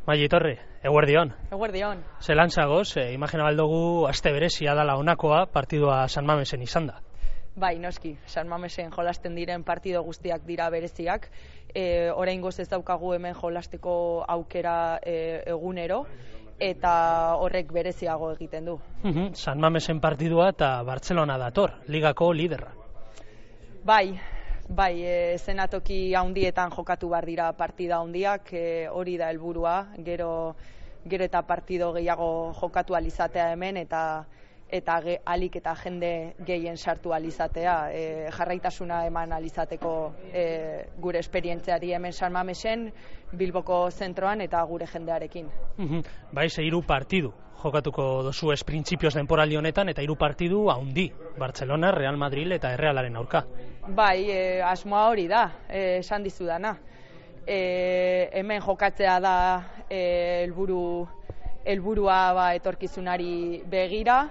Maili Torri, eguerdion. Eguerdion. Zelan zagoz, imagina baldugu aste berezia dala honakoa partidua San Mamesen izan da. Bai, noski, San Mamesen jolasten diren partido guztiak dira bereziak. Oraingoz ez daukagu hemen jolasteko aukera egunero, eta horrek bereziago egiten du. San Mamesen partidua eta Bartzelona dator, ligako liderra. Bai, zenatoki handietan jokatu behar dira partida handiak, hori da helburua, gero eta partido gehiago jokatu alizatea hemen, eta alik eta jende gehien sartu alizatea, jarraitasuna eman alizateko gure esperientziari hemen San Mamesen, Bilboko zentroan eta gure jendearekin. Bai, 3 partidu jokatuko dozu printzipioz denporaldi honetan, eta 3 partidu handi, Bartzelona, Real Madrid eta Errealaren aurka. Bai, asmoa hori da, esan dizudana. Hemen jokatzea da helburua etorkizunari begira,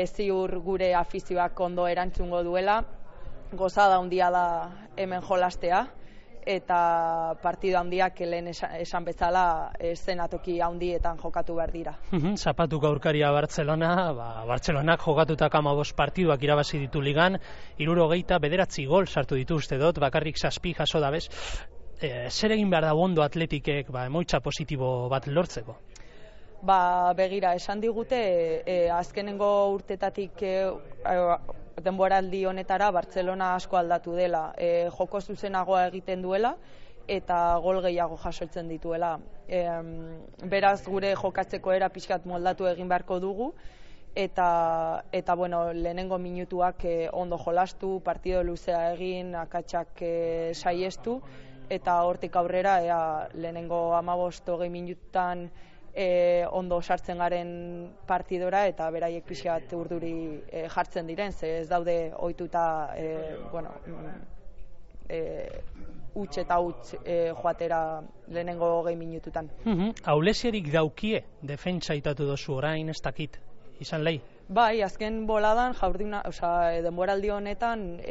ziur gure afizioak ondo erantzungo duela, gozada handia da hemen jolastea, eta partida handiak lehen esan bezala zenatoki handietan jokatu behar dira. Zapatuko aurkaria Bartzelona, Bartzelonak jokatutak 15 partiduak irabazi ditu ligan, 79 gol sartu ditu uste dut, bakarrik 7 jaso dabez. Zer egin behar da ondo Atletikek emaitza positibo bat lortzeko? Begira, esan digute, azkenengo urtetatik denboraldi honetara Bartzelona asko aldatu dela, joko zuzenagoa egiten duela eta gol gehiago jasotzen dituela. Beraz, gure jokatzeko era pixkat moldatu egin beharko dugu, eta lehenengo minutuak ondo jolastu, partido luzea egin, akatsak saiestu, eta hortik aurrera lehenengo 15-20 minututan ondo sartzen garen partidora, eta beraiek pixkat urduri jartzen diren, ze ez daude ohituta huts eta huts joatera lehenengo 20 minututan. Aulesierik daukie defentsa itatu dozu orain, ez dakit, izan lehi? Bai, azken boladan, denboraldi honetan,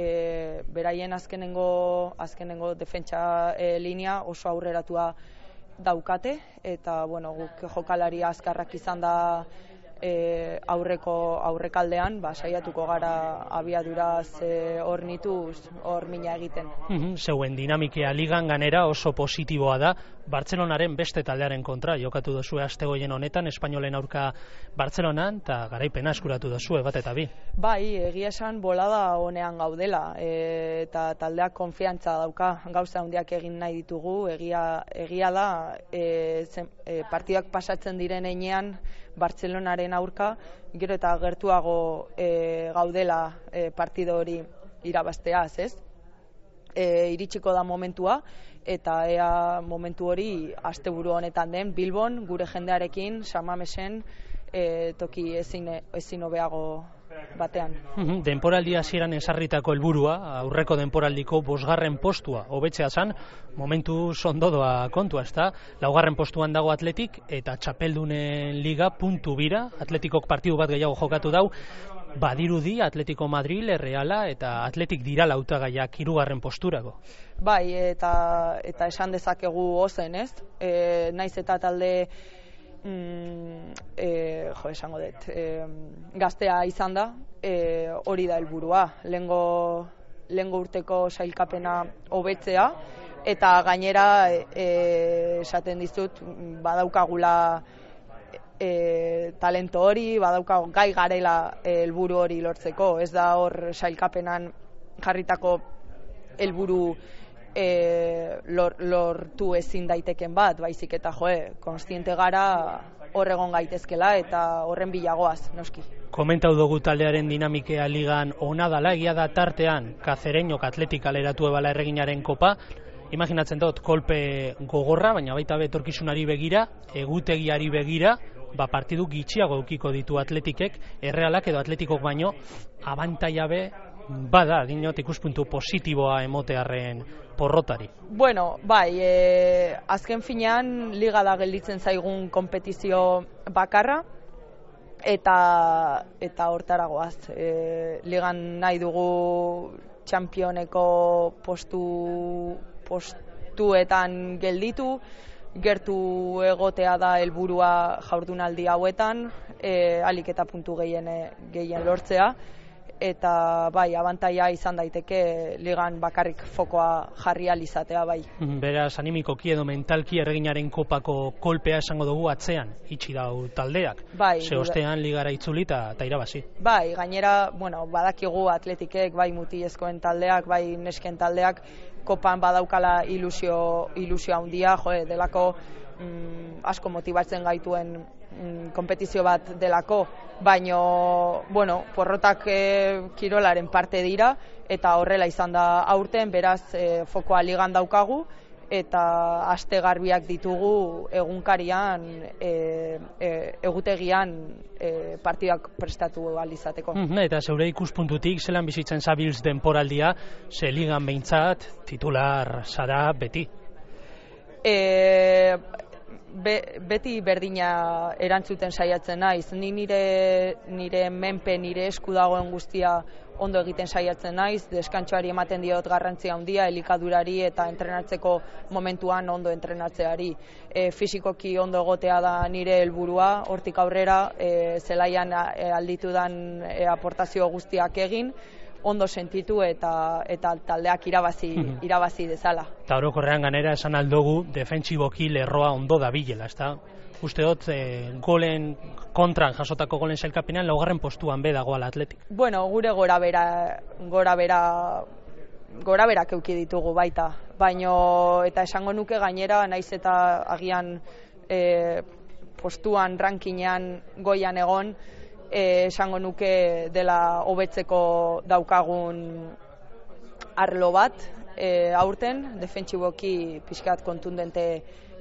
beraien azkenengo defentsa linea oso aurreratua daukate, eta guk jokalari azkarrak izan da aurrekaldean, saiatuko gara abiaduraz hornituz hor mina egiten. Zeuen dinamikea ligan ganera oso positiboa da, Bartzelonaren beste taldearen kontra jokatu dozue astegoien honetan, Espainolen aurka Bartzelonan, eta garaipena eskuratu dozue bat eta bi. Bai, egia esan bolada honean gaudela, eta taldeak konfiantza dauka, gauza handiak egin nahi ditugu, egia da, partidak pasatzen diren heinean Bartzelonaren aurka, gero eta gertuago gaudela partido hori irabazteaz, ez? Iritsiko da momentua, eta ea momentu hori asteburu honetan den Bilbon, gure jendearekin, San Mamesen, toki ezin hobeago batean. Denporaldi hasieran ezarritako helburua, aurreko denporaldiko 5. postua hobetzea zen, momentu sondodoa kontua, ezta? 4. postuan dago Atletik, eta txapeldunen liga puntu bira, Atletikok partidu bat gehiago jokatu dau, badirudi Atletico Madrid, Reala eta Atletik dira hautagaiak 3. posturako. Bai, eta esan dezakegu ozen, ez? Naiz eta talde esango dut, gaztea izan da, hori da helburua, lehengo urteko sailkapena hobetzea, eta gainera esaten dizut badaukagula talento hori, badaukago gai garela helburu hori lortzeko, ez da hor sailkapenan jarritako helburu lortu ezin daiteken bat, baizik eta kontziente gara hor egon gaitezkela eta horren bilagoaz, noski. Komentau dugu taldearen dinamikea ligan ona dala, egia da tartean Kazereñok Atletik aleratu ebala erreginaren kopa, imaginatzen dut kolpe gogorra, baina baita etorkizunari begira, egutegiari begira, partidu gitxiago eukiko ditu Atletikek, Errealak edo Atletikok baino, abantaiabe bada, dinot ikuspuntu positiboa emotearren porrotari. Bai, azken finean liga da gelditzen zaigun konpetizio bakarra, eta hortaragoaz. Ligan nahi dugu txampioneko postuetan gelditu, gertu egotea da helburua jardunaldi hauetan, ahalik eta puntu gehien lortzea, eta bai, abantaia izan daiteke ligan bakarrik fokoa jarri ahal izatea, bai. Beraz, animikoki edo mentalki erreginaren kopako kolpea esango dugu atzean, itxi dau taldeak. Bai, ze ostean ligara itzuli eta irabazi. Bai, gainera, badakigu atletikek, bai mutilezkoen taldeak, bai nesken taldeak, kopan badaukala ilusio handia, delako asko motibatzen gaituen konpetizio bat delako, baino, porrotak kirolaren parte dira, eta horrela izan da aurten, beraz, fokoa ligan daukagu, eta aste garbiak ditugu egunkarian, egutegian partidak prestatu ahal izateko. Eta zeure ikuspuntutik, zelan bizitzen zabiltz denporaldia, ze ligan behintzat, titular zara beti? Beti berdina erantzuten saiatzen naiz. Ni nire menpe, nire esku dagoen guztia ondo egiten saiatzen naiz, deskantsoari ematen diot garrantzia handia, elikadurari eta entrenatzeko momentuan ondo entrenatzeari. Fisikoki ondo egotea da nire helburua, hortik aurrera zelaian alditudan aportazio guztiak egin, ondo sentitu eta taldeak irabazi dezala. Eta orokorrean ganera esan aldogu defentsiboki lerroa ondo dabilela, ezta? Uste dut golen kontran jasotako golen sailkapenean 4. postuan be dagoela Atletik. Gure goraberak eduki ditugu baita, baino eta esango nuke gainera naiz eta agian postuan rankinean goian egon, esango nuke dela hobetzeko daukagun arlo bat aurten, defentsiboki pixkat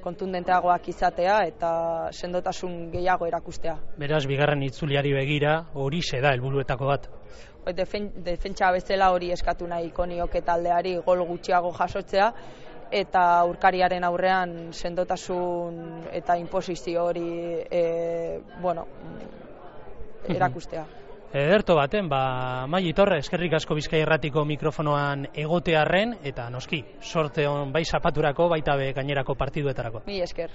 kontundenteagoak izatea eta sendotasun gehiago erakustea. Beraz, bigarren itzuliari begira, hori da helburuetako bat. Defentsa bezala hori eskatu nahiko nioke taldeari gol gutxiago jasotzea, eta aurkariaren aurrean sendotasun eta inposizio hori erakustea. Ederto baten, Maili Torre, eskerrik asko Bizkaia Irratiko mikrofonoan egotearren, eta noski, sorte on bai zapaturako, baita be gainerako partiduetarako. Mila esker.